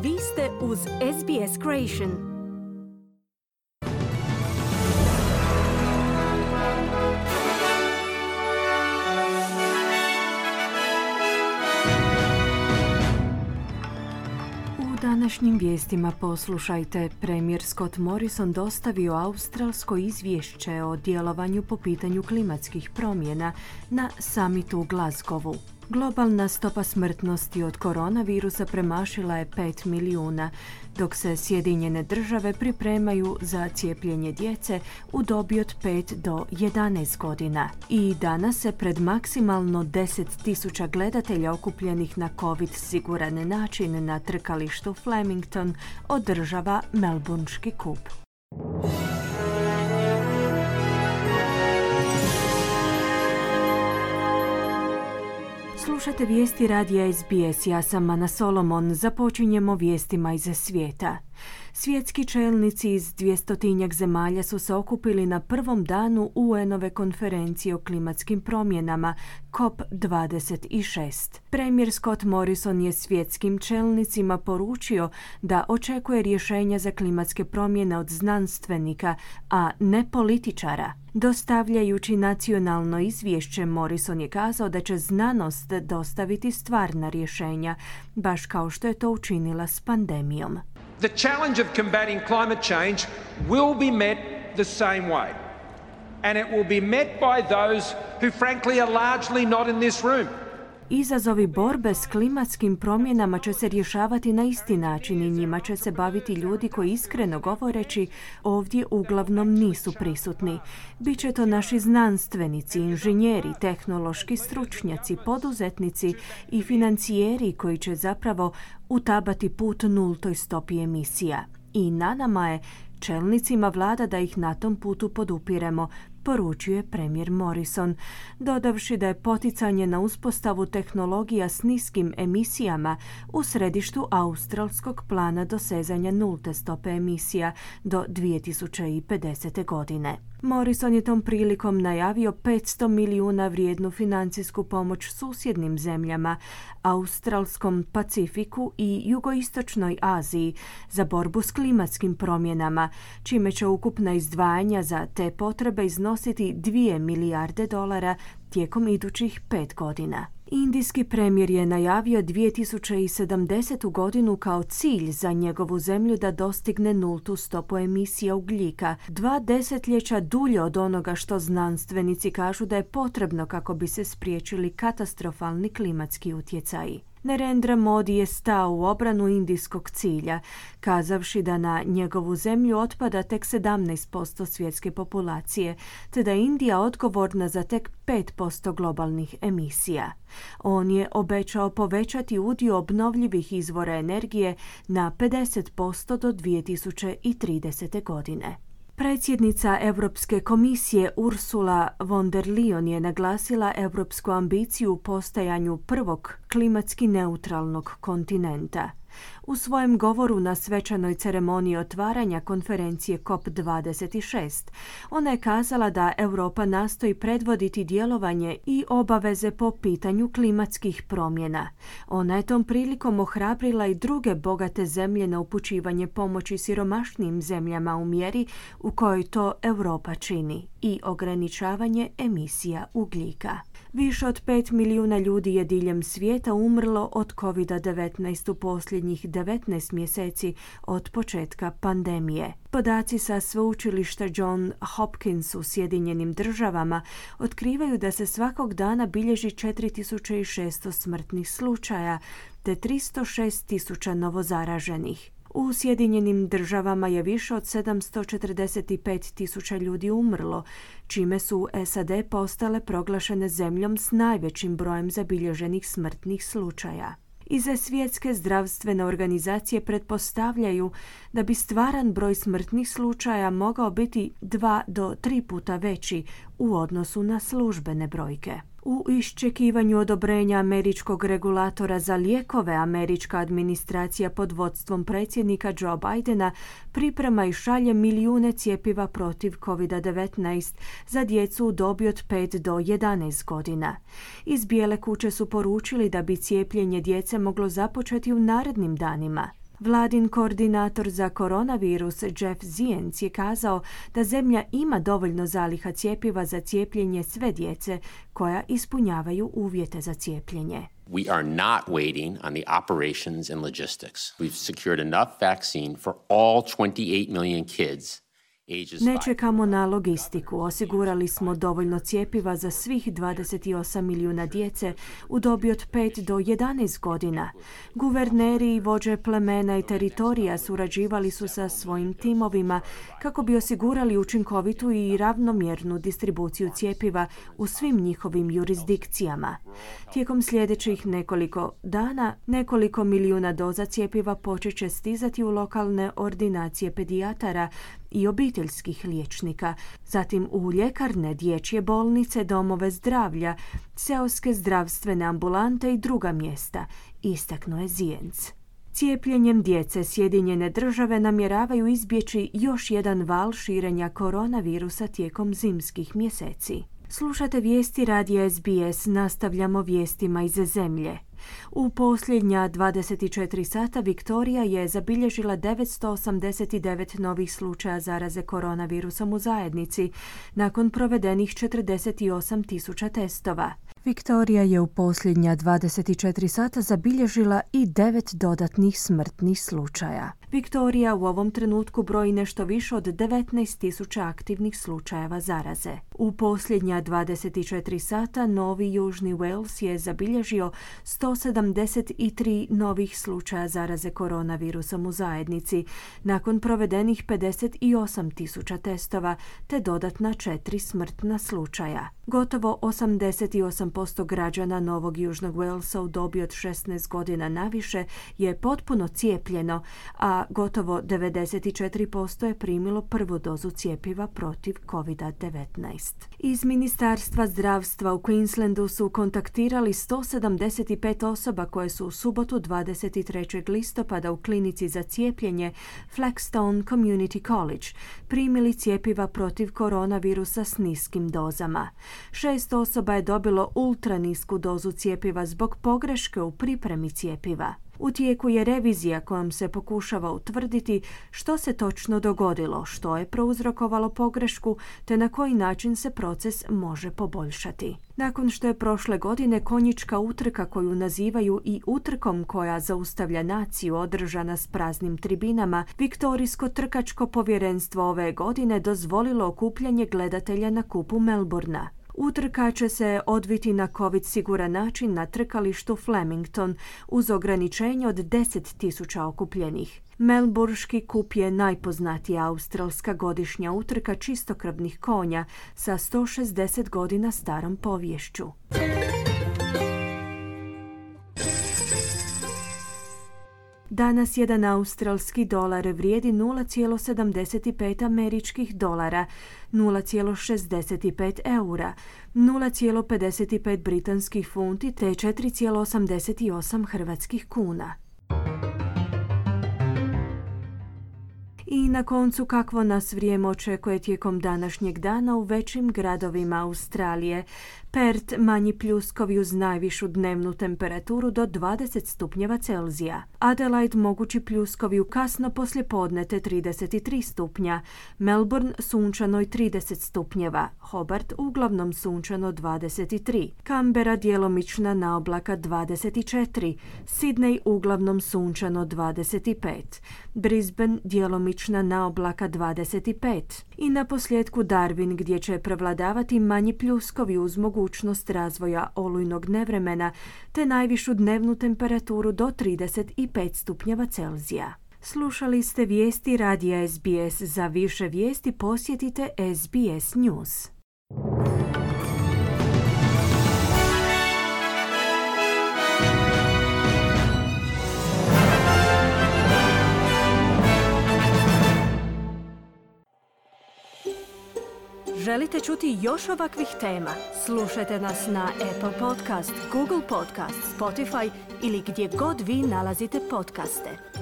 Vi ste uz SBS Creation. U današnjim vijestima poslušajte. Premijer Scott Morrison dostavio australsko izvješće o djelovanju po pitanju klimatskih promjena na samitu u Glasgowu. Globalna stopa smrtnosti od koronavirusa premašila je 5 milijuna, dok se Sjedinjene države pripremaju za cijepljenje djece u dobi od 5 do 11 godina. I danas se pred maksimalno 10.000 gledatelja okupljenih na COVID siguran način na trkalištu Flemington održava Melbourneški kup. Slušate vijesti radija SBS, ja sam Ana Solomon. Započinjemo vijestima iz svijeta. Svjetski čelnici iz 200 zemalja su se okupili na prvom danu UN-ove konferencije o klimatskim promjenama COP26. Premijer Scott Morrison je svjetskim čelnicima poručio da očekuje rješenja za klimatske promjene od znanstvenika, a ne političara. Dostavljajući nacionalno izvješće, Morrison je kazao da će znanost dostaviti stvarna rješenja, baš kao što je to učinila s pandemijom. The challenge of combating climate change will be met the same way. And it will be met by those who frankly are largely not in this room. Izazovi borbe s klimatskim promjenama će se rješavati na isti način i njima će se baviti ljudi koji, iskreno govoreći, ovdje uglavnom nisu prisutni. Biće to naši znanstvenici, inženjeri, tehnološki stručnjaci, poduzetnici i financijeri koji će zapravo utabati put nultoj stopi emisija. I na nama je, čelnicima vlada, da ih na tom putu podupiremo, poručuje premijer Morrison, dodavši da je poticanje na uspostavu tehnologija s niskim emisijama u središtu australskog plana dosezanja nulte stope emisija do 2050. godine. Morrison je tom prilikom najavio 500 milijuna vrijednu financijsku pomoć susjednim zemljama, Australskom Pacifiku i Jugoistočnoj Aziji za borbu s klimatskim promjenama, čime će ukupna izdvajanja za te potrebe iznositi 2 milijarde dolara tijekom idućih 5 godina. Indijski premijer je najavio 2070. godinu kao cilj za njegovu zemlju da dostigne nultu stopu emisija ugljika, 2 desetljeća dulje od onoga što znanstvenici kažu da je potrebno kako bi se spriječili katastrofalni klimatski utjecaji. Narendra Modi je stao u obranu indijskog cilja, kazavši da na njegovu zemlju otpada tek 17% svjetske populacije, te da je Indija odgovorna za tek 5% globalnih emisija. On je obećao povećati udio obnovljivih izvora energije na 50% do 2030. godine. Predsjednica Europske komisije Ursula von der Leyen je naglasila europsku ambiciju u postajanju prvog klimatski neutralnog kontinenta. U svojem govoru na svečanoj ceremoniji otvaranja konferencije COP26, ona je kazala da Europa nastoji predvoditi djelovanje i obaveze po pitanju klimatskih promjena. Ona je tom prilikom ohrabrila i druge bogate zemlje na upućivanje pomoći siromašnijim zemljama u mjeri u kojoj to Europa čini i ograničavanje emisija ugljika. Više od 5 milijuna ljudi je diljem svijeta umrlo od COVID-19 u posljednjih 19 mjeseci od početka pandemije. Podaci sa sveučilišta John Hopkins u Sjedinjenim državama otkrivaju da se svakog dana bilježi 4600 smrtnih slučaja te 306.000 novozaraženih. U Sjedinjenim državama je više od 745.000 ljudi umrlo, čime su SAD postale proglašene zemljom s najvećim brojem zabilježenih smrtnih slučaja. Iz Svjetske zdravstvene organizacije pretpostavljaju da bi stvaran broj smrtnih slučaja mogao biti 2 do 3 puta veći u odnosu na službene brojke. U iščekivanju odobrenja američkog regulatora za lijekove, američka administracija pod vodstvom predsjednika Joe Bidena priprema i šalje milijune cjepiva protiv COVID-19 za djecu u dobi od 5 do 11 godina. Iz Bijele kuće su poručili da bi cijepljenje djece moglo započeti u narednim danima. Vladin koordinator za koronavirus Jeff Zients je kazao da zemlja ima dovoljno zaliha cjepiva za cijepljenje sve djece koja ispunjavaju uvjete za cijepljenje. We are not waiting on the operations and logistics. We've secured enough vaccine for all 28 million kids. Ne čekamo na logistiku. Osigurali smo dovoljno cjepiva za svih 28 milijuna djece u dobi od 5 do 11 godina. Guverneri i vođe plemena i teritorija surađivali su sa svojim timovima kako bi osigurali učinkovitu i ravnomjernu distribuciju cjepiva u svim njihovim jurisdikcijama. Tijekom sljedećih nekoliko dana, nekoliko milijuna doza cjepiva počet će stizati u lokalne ordinacije pedijatara i obiteljskih liječnika, zatim u ljekarne, dječje bolnice, domove zdravlja, seoske zdravstvene ambulante i druga mjesta, istaknuo je Zients. Cijepljenjem djece Sjedinjene države namjeravaju izbjeći još jedan val širenja koronavirusa tijekom zimskih mjeseci. Slušate vijesti radija SBS, nastavljamo vijestima iz zemlje. U posljednja 24 sata Viktorija je zabilježila 989 novih slučaja zaraze koronavirusom u zajednici, nakon provedenih 48.000 testova. Viktorija je u posljednja 24 sata zabilježila i 9 dodatnih smrtnih slučaja. Viktorija u ovom trenutku broji nešto više od 19.000 aktivnih slučajeva zaraze. U posljednja 24 sata Novi Južni Wales je zabilježio 173 novih slučaja zaraze koronavirusom u zajednici, nakon provedenih 58.000 testova te dodatna 4 smrtna slučaja. Gotovo 88% građana Novog Južnog Walesa u dobi od 16 godina naviše je potpuno cijepljeno, a gotovo 94% je primilo prvu dozu cjepiva protiv COVID-19. Iz Ministarstva zdravstva u Queenslandu su kontaktirali 175 osoba koje su u subotu 23. listopada u klinici za cijepljenje Flagstone Community College primili cjepiva protiv koronavirusa s niskim dozama. 6 osoba je dobilo ultranisku dozu cjepiva zbog pogreške u pripremi cjepiva. U tijeku je revizija kojom se pokušava utvrditi što se točno dogodilo, što je prouzrokovalo pogrešku te na koji način se proces može poboljšati. Nakon što je prošle godine konjička utrka koju nazivaju i utrkom koja zaustavlja naciju održana s praznim tribinama, Viktorijsko trkačko povjerenstvo ove godine dozvolilo okupljanje gledatelja na kupu Melbourna. Utrka će se odviti na COVID siguran način na trkalištu Flemington uz ograničenje od 10.000 okupljenih. Melburški kup je najpoznatija australska godišnja utrka čistokrvnih konja sa 160 godina starom poviješću. Danas jedan australski dolar vrijedi 0,75 američkih dolara, 0,65 eura, 0,55 britanskih funti te 4,88 hrvatskih kuna. I na koncu kakvo nas vrijeme očekuje tijekom današnjeg dana u većim gradovima Australije. Perth manji pljuskovi uz najvišu dnevnu temperaturu do 20 stupnjeva Celzija. Adelaide mogući pljuskovi u kasno poslijepodne te 33 stupnja. Melbourne sunčano i 30 stupnjeva. Hobart uglavnom sunčano 23. Canberra djelomična naoblaka 24. Sydney uglavnom sunčano 25. Brisbane djelomična naoblaka 25. I na posljedku Darwin gdje će prevladavati manji pljuskovi uz mogućnost razvoja olujnog nevremena te najvišu dnevnu temperaturu do 35 stupnjeva Celzija. Slušali ste vijesti radija SBS. Za više vijesti posjetite SBS News. Želite čuti još ovakvih tema? Slušajte nas na Apple Podcast, Google Podcast, Spotify ili gdje god vi nalazite podcaste.